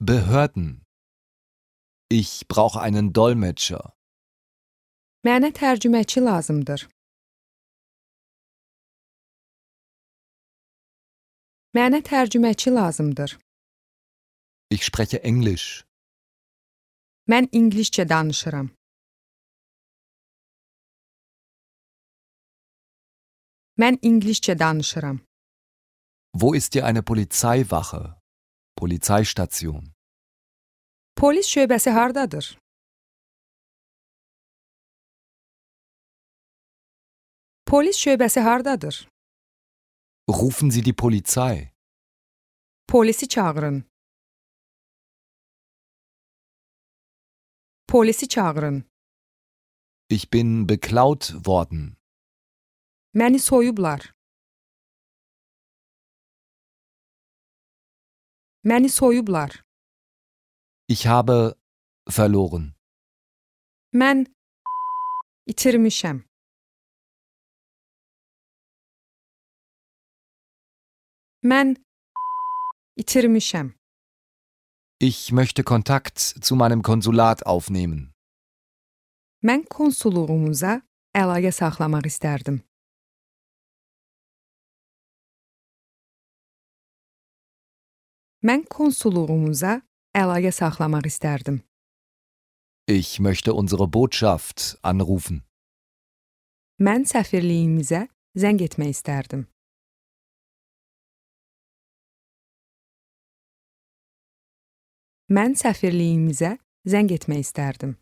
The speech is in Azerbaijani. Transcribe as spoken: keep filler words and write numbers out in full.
Behörden. Ich brauche einen Dolmetscher. Mənə tərcüməçi lazımdır. Mənə tərcüməçi lazımdır. Ich spreche Englisch. Mən ingiliscə danışıram. Mən ingiliscə danışıram. Wo ist hier eine Polizeiwache? Polizeistation. Polis şöbəsi hardadır? Polis şöbəsi hardadır? Rufen Sie die Polizei. Polisi çağırın. Polisi çağırın. Ich bin beklaut worden. Məni soyublar. Məni soyublar. Ich habe verloren. Mən itirmişəm. Mən itirmişəm. Ich möchte Kontakt zu meinem Konsulat aufnehmen. Mən konsulluğumuza əlaqə saxlamaq istərdim. Mən konsulluğumuza əlaqə saxlamaq istərdim. Ich möchte unsere Botschaft anrufen. Mən səfirliyimizə zəng etmək istərdim. Mən səfirliyimizə zəng etmək istərdim.